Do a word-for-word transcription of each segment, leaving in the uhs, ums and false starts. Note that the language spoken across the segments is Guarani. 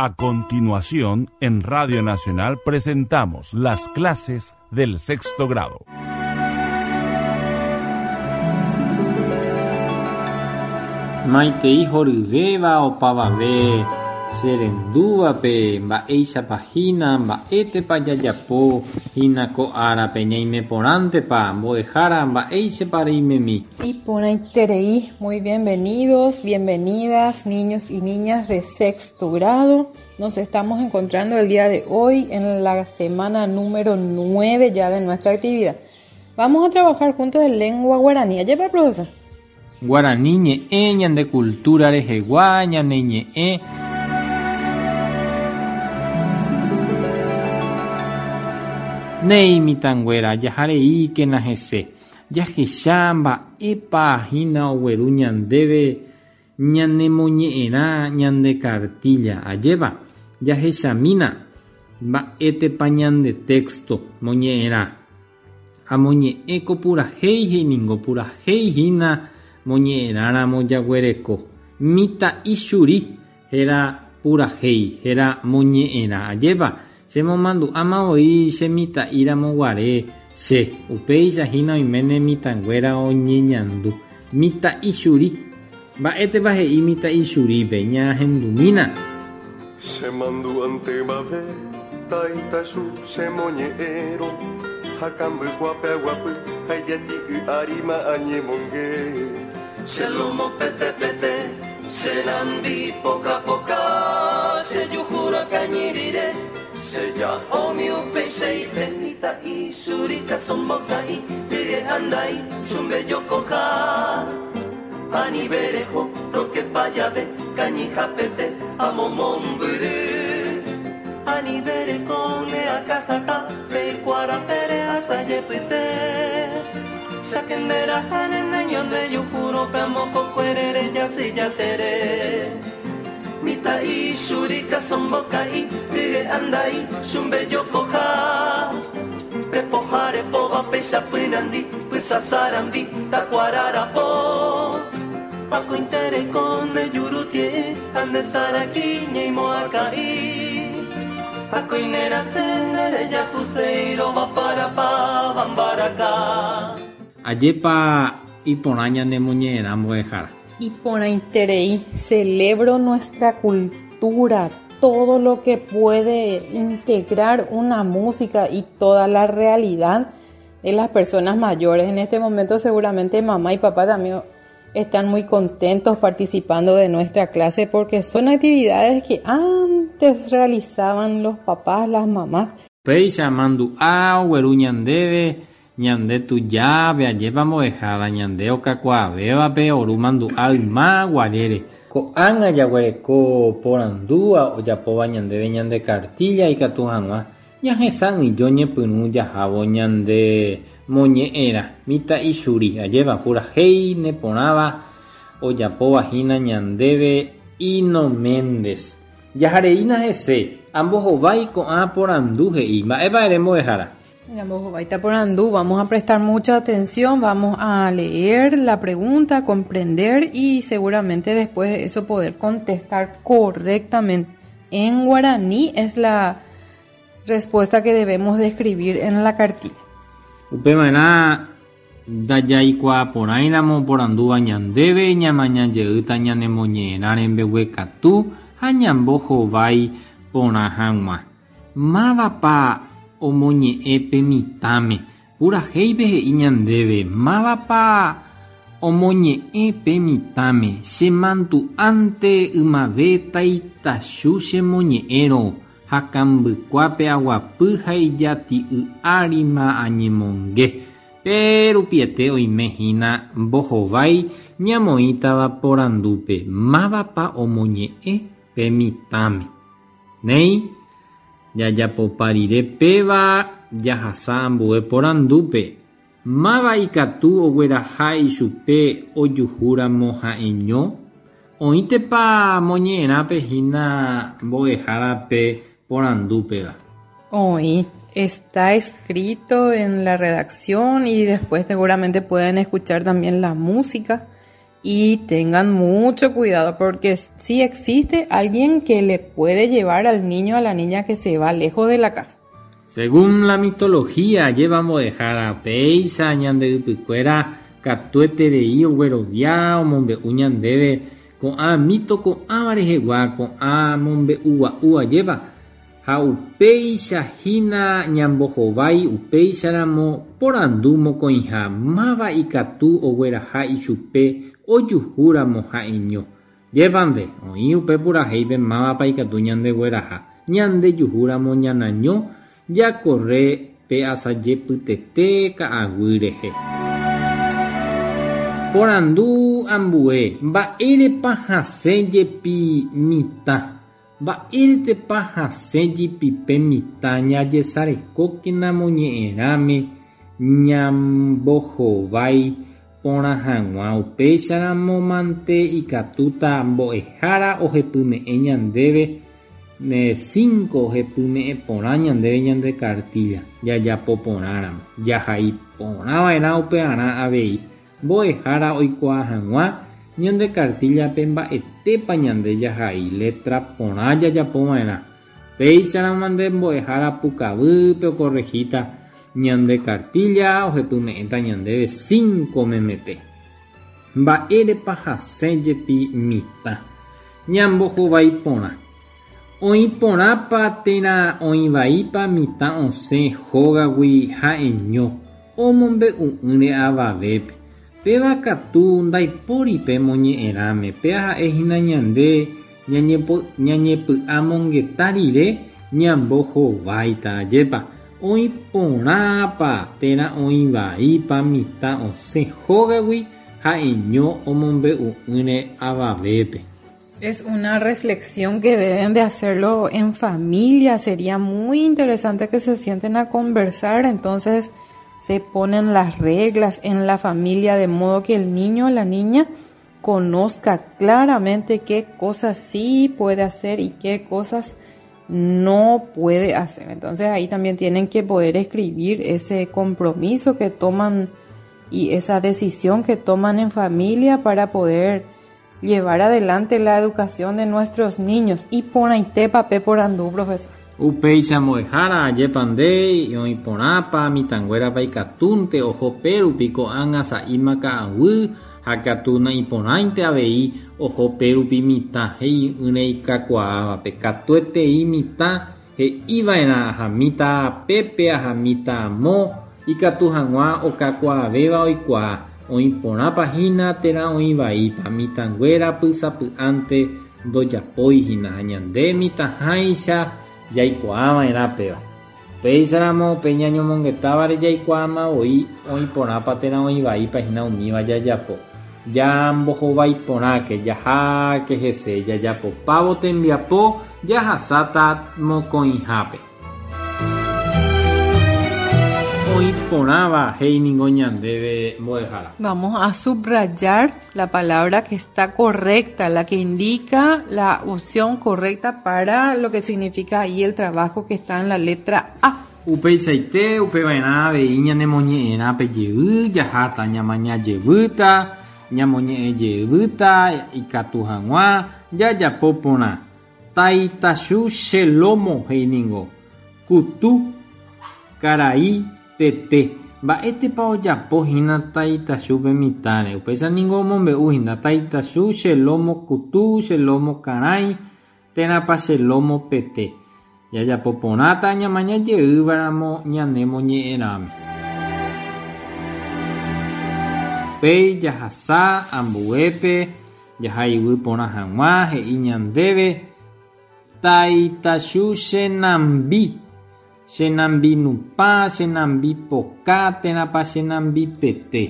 A continuación, en Radio Nacional presentamos las clases del sexto grado. Maitei horyvéva opavave cherendúvape mba'éichapa hína mba'étepa jajapo hína ko árape ñaimeporãntepa mbo'ehára mba'éichapa reimemi. Iporãiterei, muy bienvenidos, bienvenidas, niños y niñas de sexto grado. Nos estamos encontrando el día de hoy en la semana número nueve ya de nuestra actividad. Vamos a trabajar juntos en lengua guaraní. ¿Allá, profesor? Guaraní ñe'ẽ ñande cultura rehegua ñane ñe'ẽ. Néi mitãnguéra jahareíkena hese jahecha mba'épa hína ogueru ñandéve ñanemoñe'ẽrã ñande cartilla ajépa jahechamína mba'étepa ñande texto moñe'ẽrã amoñe'ẽko purahéi he'íningo purahéi hína moñe'ẽrãramo jaguereko mitã'i churi héra purahéi héra moñe'ẽrã ajépa chemomandu'áma voi che mitã'íramo guare che upéicha hína oiméne mitãnguéra oñeñandu mitã'i churi mba'étepa he'i mitã'i churípe ñahendumína. Chemandu'antemave taitachu chemoñe'ẽrõ hakambykuápe aguapy ha ijati'y añemonge. Che lomo pete pete che nambi poka poka che juhúra kañyrire che ja'ómi upeichaite mitã'i churi kasõmboka'i hye andai chumbejokoha anivereho rokepa jave kañyhapete amomombyry anivereko neakãhatã peikuarapére asajepyte chakenderaha neñonde juhúrope amokokuerére jasyjatere mitã'i churi kasõmboka'i hye andai chumbejokoha pepoha repóva peichapynandi pysasarambi takuararapo pakoitereko nde jurutie'ỹ ha nde saraki ñeimo'ãka'i akoinerase nderejapuséirova parapa vambaraka. Ajépa iporã ñanemoñe'ẽrã mbo'ehára. Iporãiterei, celebro nuestra cultura, todo lo que puede integrar una música y toda la realidad de las personas mayores. En este momento seguramente mamá y papá también están muy contentos participando de nuestra clase porque son actividades que antes realizaban los papás, las mamás. Péicha mandu'a ogueru ñandéve ñande tujápe ajépa mbo'ehára ñande okakuaavévape oru mandu'a yma guarére. Ko'ág̃a jaguereko porandúva ojapóva ñandéve ñande cartilla ikatu hag̃ua ñahesa'ỹijo ñepyrũ jahávo ñande moñe'ẽrã mitã'i churi ajépa purahéi neporãva ojapóva hína ñandéve Ino Méndez. Jahareína hese ambohovái ko'ã porandu he'i mba'épa ere mbo'ehára. Ambohováita porandu, vamos a prestar mucha atención, vamos a leer la pregunta, comprender y seguramente después de eso poder contestar correctamente. En guaraní es la respuesta que debemos de escribir en la cartilla. Upémarã ndajaikuaaporãiramo porandúva ñandéve ñamañajeýta ñanemoñe'ẽrã rembeguekatu ha ñambohovái porã hag̃ua. Mávapa omoñe'ẽ pe mitãme purahéipe he'i ñandéve mávapa omoñe'ẽ pe mitãme chemandu'ánte ymave taitachu chemoñe'ẽrõ hakambykuápe aguapy ha ijati'y árima añemonge pérupiete oime hína mbohovái ñamoĩtava porandúpe mávapa omoñe'ẽ pe mitãme. Néi jajapopa rire péva jahasa ambue porandúpe máva ikatu ogueraha ichupe ojuhúramo ha'eño oĩtepa moñe'ẽrãpe hína mbo'ehárape porandúpeva. Oĩ, está escrito en la redacción y después seguramente pueden escuchar también la música Y tengan mucho cuidado porque si existe alguien que le puede llevar al niño o a la niña que se va lejos de la casa. Según la mitología, llevamos dejar a péicha ñande ypykuéra katueterei oguerovia omombe'u ñandéve ko'ã mito ko'ãva rehegua ko'ã mombe'ugua'u ajépa ha upéicha hína ñambohovái upéicharamo porandu mokõiha máva ikatu ogueraha ichupe ojuhúramo ha'eño. Jépante oĩ upe purahéipe mávapa ikatu ñandegueraha ñandejuhúramo ñanaño jakorre pe asajepytete ka'aguy rehe. Porandu ambue mba'érepa hasẽ jepi mitã mba'éretepa hasẽ jepipe mitã ñajesarekókena moñe'ẽrãme ñambohovái porã hag̃ua upéicharamo mante ikatúta mbo'ehára ohepyme'ẽ ñandéve ne cinco ohepyme'ẽ porã ñandéve ñande cartilla jajapo porãramo jahai porãva'erã upearã avei mbo'ehára oikuaa hag̃ua ñande cartillape mba'etépa ñande jahai letra porã jajapova'erã péicharamo nde mbo'ehára pukavýpe okorregíta ñande cartilla ohepyme'ẽta ñandéve cinco memete. Mba'érepa hasẽ jepi mitã ñambohovái porã oĩ porãpa térã oĩvaípa mitã osẽ hógagui ha'eño omombe'u'ỹre avavépe péva katu ndaipóripe moñe'ẽrãme péa ha'ehína ñande ñañepy'amongeta rire ñambohováita ajépa oĩ porãpa térã oĩvaípa mitã osẽ hógagui ha'eño omombe'u'ỹre avavépe. Es una reflexión que deben de hacerlo en familia. Sería muy interesante que se sienten a conversar. Entonces se ponen las reglas en la familia de modo que el niño o la niña conozca claramente qué cosas sí puede hacer y qué cosas no puede hacer. Entonces ahí también tienen que poder escribir ese compromiso que toman y esa decisión que toman en familia para poder llevar adelante la educación de nuestros niños. Y por ahí te papé por andú, profesor. Upéicha mbo'ehára ajépande oĩ porãpa mitãnguérapa ikatúnte oho pérupi ko'ág̃a sa'íma ka'aguy ha katu na'iporãinte avei oho pérupi mitã he'i'ỹre ikakuaávape katuetei mitã he'iva'erã ahamíta pépe ahamíta amo ikatu hag̃ua okakuaavéva oikuaa oĩ porãpa hína térã oĩvaípa mitãnguéra pysapy'ánte ndojapóihína ha ñande mitãháicha jaikuaava'erã péva. Péicharamo pe ñañomongetávare jaikuaáma voi oĩ porãpa térã oĩvaípa hína umíva jajapo. Jambohovái porãke jaháke hese jajapopávo tembiapo jahasáta mokõihápe. Oĩ porãva he'i ningo ñandéve mbo'ehára. Vamos a subrayar la palabra que está correcta, la que indica la opción correcta para lo que significa ahí el trabajo que está en la letra A. Upeichaite upeva'erã avei ñanemoñe'ẽrã pe jey jaháta ñamaña jevýta ñamoñe'ẽ jevýta ikatu hag̃ua jajapo porã. Taitachu che lomo he'i ningo kutu karai pete mba'étepa ojapo hína taitachupe mitãre upéicha ningo omombe'u hína taitachu che lomo kutu che lomo karãi térãpa che lomo pete jajapo porãta ñamaña jeývaramo ñanemoñe'ẽrãme. Upéi jahasa ambuépe jahaiguy porã hag̃ua he'i ñandéve taitachu che nambi che nambi nupã che nambi poka térãpa che nambi pete.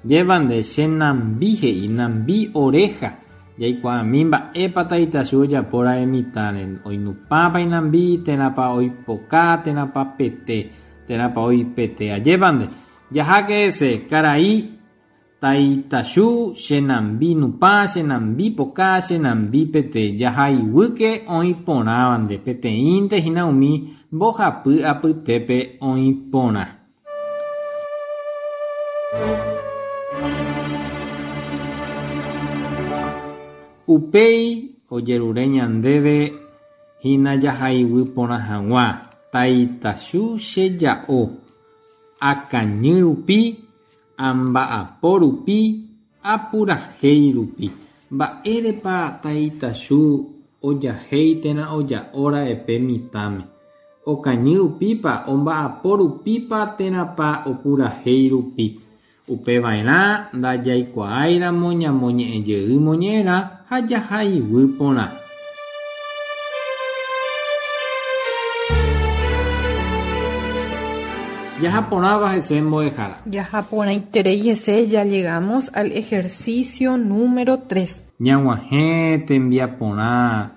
Jépante che nambi he'i nambi oreja jaikuaami mba'épa taitachu ojapóra'e mitãre oinupãpa inambi térãpa oipoka térãpa pete térãpa oipete ajépante jaháke hese karai taitachu che nambi nupã che nambi poka che nambi pete jahaiguýke oĩ porãvante peteĩnte hína umi mbohapy apytépe oĩ porã. Upéi ojerure ñandéve hína jahaiguy porã hag̃ua taitachu cheja'o akañy rupi amba'apo rupi apurahéi rupi. Mba'érepa taitachu ojahéi térã oja'óra'e mitãme. Okañy rupípa omba'apo rupípa térãpa opurahéi rupi. Upeva'erã ndajaikuaáiramo ñamoñe'ẽjey moñe'ẽrã ha jahaiguy porã. Jahaporãva hese mbo'ehára. Jahaporãiterei hese, ya llegamos al ejercicio número tres. Ñag̃uahẽ tembiaporã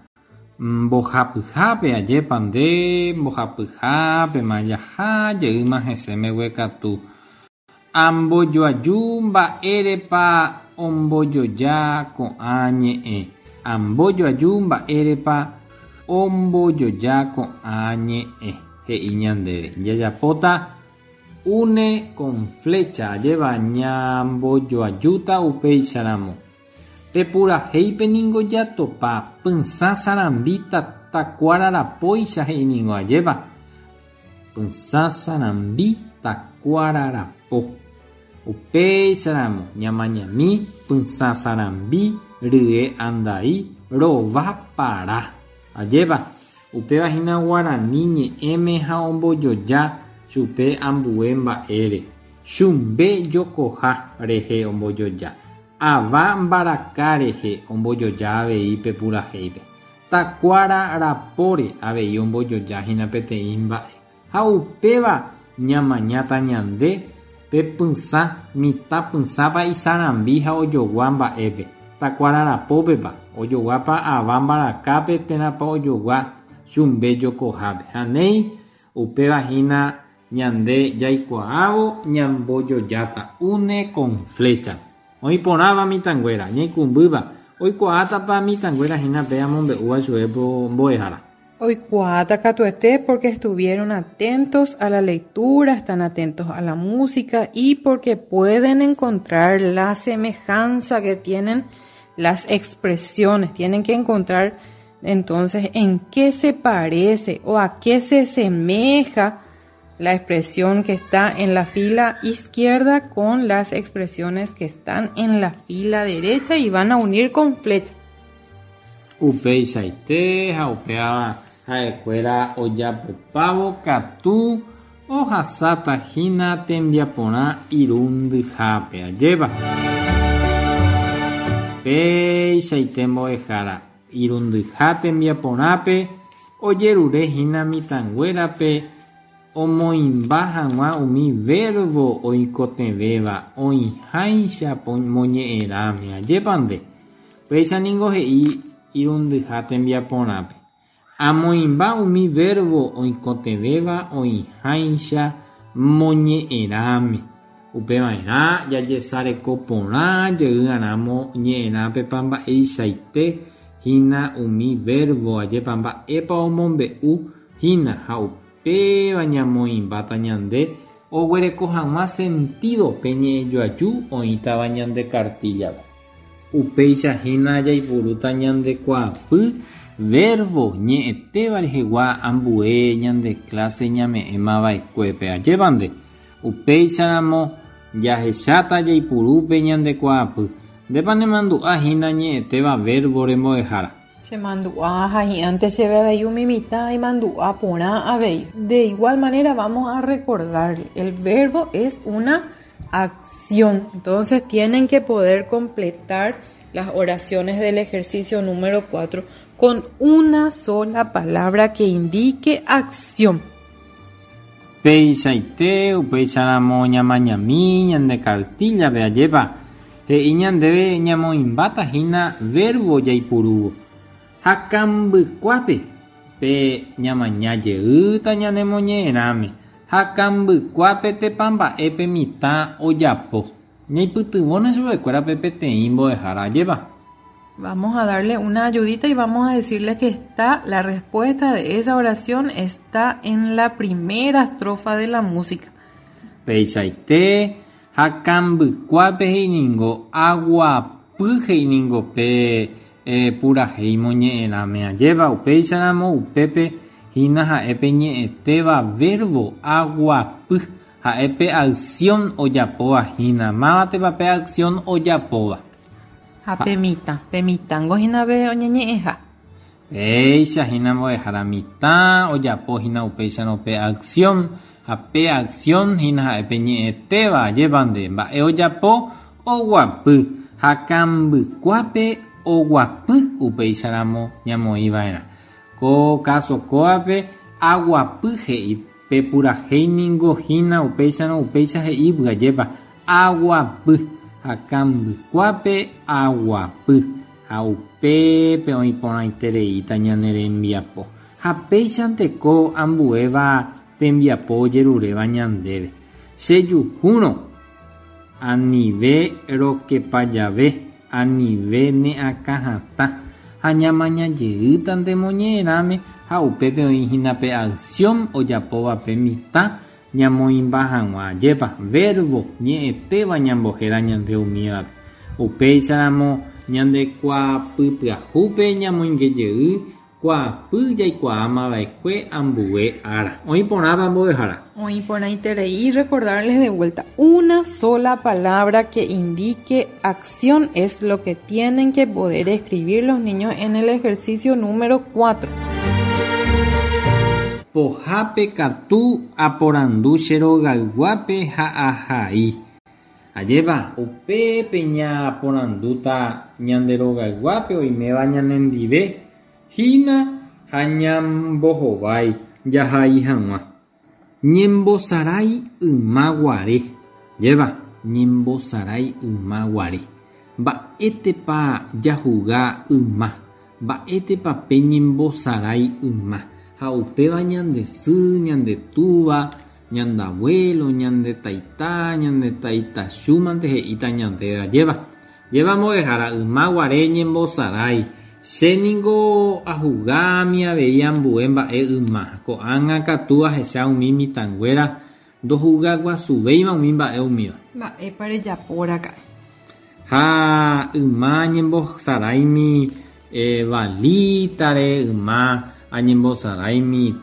mbohapyhápe ajépa nde mbohapyhápema jaha jeýma hese mbeguekatu. Ambojoaju mba'érepa ombojoja ko'ã ñe'ẽ. Ambojoaju mba'érepa ombojoja ko'ã ñe'ẽ. He'i ñandéve. Jajapóta une con flecha ajéva ñambojoajúta upéicharamo. Pepurahéipe ningo jatopa pysã sarambi takuára rapóicha he'i ningo ajépa. Pysã sarambi takuára rapo. Upéicharamo ñamañami pysã sarambi rye andai rova para. Ajépa. Upéva hína guarani ñe'ẽme ha ombojoja chupe ambue mba'ére. Chumbe jokoha rehe ombojoja. Ava mbaraka rehe ombojoja avei pepurahéipe. Takuára rapóre avei ombojoja hína peteĩ mba'e. Ha upéva ñamañáta ñande pe pysã mitã pysãpa isarambi ha ojogua mba'épe. Takuára rapópepa ojoguápa ava mbarakápe térãpa ojogua chumbe jokohápe. Ha néi upéva hína ñande jaikuaávo ñambojojáta une con flecha. Oĩporãva mitãnguéra ñaikũmbýva oikuaátapa mitãnguéra hína pe amombe'úva chupe mbo'ehára. Oikuaáta katuete porque estuvieron atentos a la lectura, están atentos a la música y porque pueden encontrar la semejanza que tienen las expresiones. Tienen que encontrar entonces en qué se parece o a qué se semeja la expresión que está en la fila izquierda con las expresiones que están en la fila derecha y van a unir con flecha. Upeichaite ha upéva ha'ekuéra ojapopávo katu ohasáta hína tembiaporã irundyhápe ajépa. Péichaite mbo'ehára irundyha tembiaporãpe ojerure hína mitãnguérape omoĩmba hag̃ua umi verbo oikotevẽva oĩháicha moñe'ẽrãme ajépa nde. Péicha ningo he'i irundyha tembiaporãpe. Amoĩmba umi verbo oikotevẽva oĩháicha moñe'ẽrãme. Upeva'erã jajesareko porã jey'arãmo ñe'ẽrãpepa mba'eichaite hína umi verbo ajépa mba'épa omombe'u hína ha upéva ñamoĩmbáta ñande oguereko hag̃ua sentido pe ñe'ẽjoaju oĩtava ñande cartilla-pe. Upéicha hína jaipurúta ñandekuaapy verbo ñe'ẽtéva rehegua ambue ñande clase ñame'ẽmava'ekuépe ajépa nde. Upéicharamo jahecháta jaipurúpe ñandekuaapy. Ndépa nemandu'a hína ñe'ẽtéva verbo rembo'ehára. Chemandu'a ha hi'ánte chéve avei umi mitã imandu'a porã avei. De igual manera vamos a recordar, el verbo es una acción. Entonces tienen que poder completar las oraciones del ejercicio número cuatro con una sola palabra que indique acción. Peichaite upeicharamo ñamañami ñande cartilla-pe ajépa. He'i ñandéve ñamoĩmbáta hína verbo jaipurúvo. Ha kambykuápe pe ñamaña jeýta ñanemoñe'ẽrãme. Ha kambykuápe tepa mba'épe mitã ojapo. Ñaipytyvõne chupekuérape peteĩ mbo'ehára ajépa. Vamos a darle una ayudita y vamos a decirle que está la respuesta de esa oración está en la primera estrofa de la música. Peichaite ha kambykuápe he'iningo aguapy he'iningo pe eh, purahéi moñe'ẽrãme ajépa upéicharamo upépe hína ha'épe ñe'ẽtéva verbo aguapy ha'épe acción ojapóva hína mávatepa pe acción ojapóva. Ha pe mitã, pe mitãngo hína pe oñeñe'ẽha. Péicha hína mbo'ehára mitã ojapo hína upéicharõ pe acción ha pe acción hína ha'épe ñe'ẽtéva ajépa nde mba'e ojapo oguapy ha kambykuápe oguapy upéicharamo ñamoĩva'erã. Ko káso kóvape aguapy he'i pe purahéi ningo hína upéicharõ upéicha he'ípy ajépa aguapy ha kambykuápe aguapy ha upépe oĩporãitereíta ñane rembiapo ha péichanteko ambuéva tembiapo ojeruréva ñandéve. Chejuhúrõ anive rokepajave anive ne'akãhatã ha ñamañajeýtante moñe'ẽrãme ha upépe oĩhína pe acción ojapóva pe mitã ñamoĩmba hag̃ua ajépa verbo ñe'ẽtéva ñambohéra ñande umívape. Upéicharamo ñandekuaapypyahúpe ñamoingejey kuaapy jaikuaamava'ekue ambue ára. Oĩporãva mbo'ehára. Oĩporãiterei recordarles de vuelta una sola palabra que indique acción es lo que tienen que poder escribir los niños en el ejercicio número cuatro. Pohápe katu aporandu che rogayguápe ha ahai. Ajépa upépe ñaporandúta ñande rogayguápe oiméva ñanendive hína ha ñambohovái jahai hag̃ua. Ñembosarái ymaguare. Ajépa ñembosarái ymaguare. Mba'étepa jahuga yma. Mba'étepa pe ñembosarái yma. Ha upéva ñande sy, ñande túva, ñande abuelo, ñande taita, ñande taitachúmante he'íta ñandéve ajépa. Ajépa mbo'ehára ymaguare ñembosarái. Che ningo ahugámi avei ambue mba'e yma. Ko'ág̃a katu ahecha umi mitãnguéra ndohugaguasuvéima umi mba'e umíva. Mba'épa rejapóraka'e. Ha yma ñembosaráimi eh, balítare, yma añembosaráimi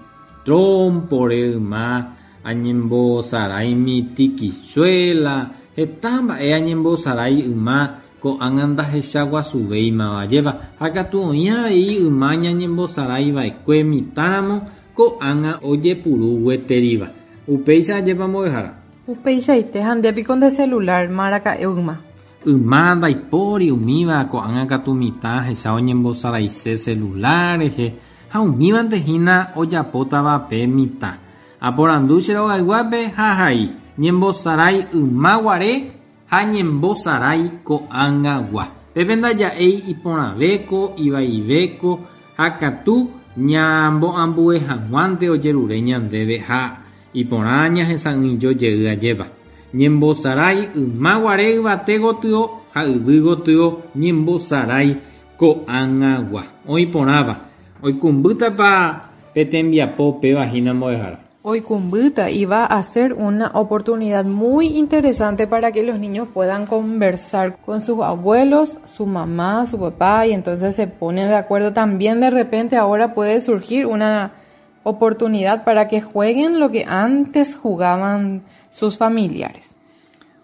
trompore, yma añembosaráimi tikichuela, heta mba'e añembosarái yma ko'ág̃a ndahechaguasuvéimava ajépa ha katu oĩ avei yma ñañembosaráiva'ekue mitãramo ko'ág̃a ojepuru gueteríva. Upéicha ajépa mbo'ehára. Upeichaite ha ndépiko nde celular maraka'e yma. Yma ndaipóri umíva ko'ág̃a katu mitã ahecha oñembosaraise celular rehe ha umívante hína ojapótava pe mitã. Aporandu che rogayguápe ha ahai ñembosarái ymaguare ha ñembosarái ko'ág̃agua. Pépe ndaja'éi iporãvéko, ivaivéko ha katu ñamboambue hag̃uánte ojerure ñandéve ha iporã ñahesa'ỹijojey ajépa. Ñembosarái ymaguare yvate gotyo ha yvy gotyo ñembosarái ko'ág̃agua. Oĩporãva. Oikũmbýtapa pe tembiapo péva hína mbo'ehára. Oikũmbýta y va a ser una oportunidad muy interesante para que los niños puedan conversar con sus abuelos, su mamá, su papá, y entonces se ponen de acuerdo. También de repente ahora puede surgir una oportunidad para que jueguen lo que antes jugaban sus familiares.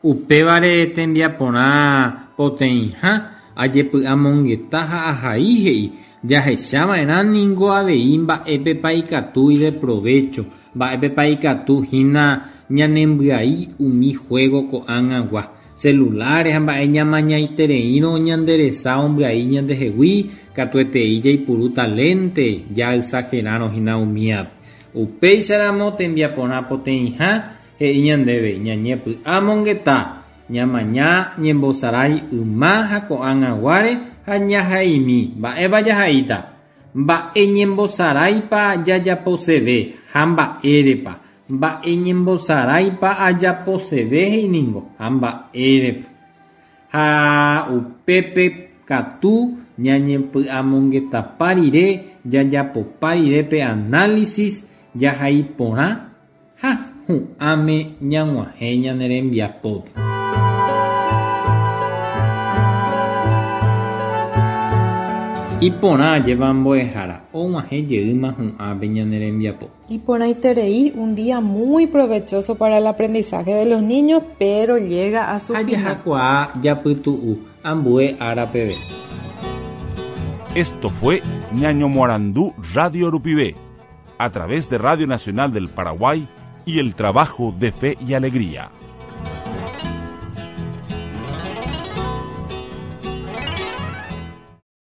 Upévare tembiaporã poteĩha ajepy'amongeta ha ahai he'i jahechava'erã ningo avei mba'épepa ikatu ideprovecho, mba'épepa ikatu hína ñanembyai umi juego ko'ág̃agua. Celulares ha mba'e ñamañaitereírõ ñanderesa ombyai ñandehegui katuetei jaipurúta lente jaexagerárõ hína umíape. Upéicharamo tembiaporã poteĩha he'i ñandéve ñañepy'amongeta ñamaña ñembosarái yma ha ko'ág̃aguáre ha ñahaimi mba'épa jahaíta. Mba'e ñembosaráipa jajaposeve ha mba'érepa. Mba'e ñembosaráipa ajaposeve he'iningo ha mba'érepa. Ha upépe katu ñañepy'amongetapa rire jajapopa rire pe análisis jahaiporã ha hu'ãme ñag̃uahẽ ñane rembiapópe. Iporã ajépa mbo'ehára og̃uahẽ jeýma hu'ãme ñane rembiapo. Iporãiterei, un día muy provechoso para el aprendizaje de los niños, pero llega a su Ha final. Jahakuaa japytu'u ambue ára peve. Esto fue Ñañomoarandú Radio Rupive, a través de Radio Nacional del Paraguay y el trabajo de Fe y Alegría.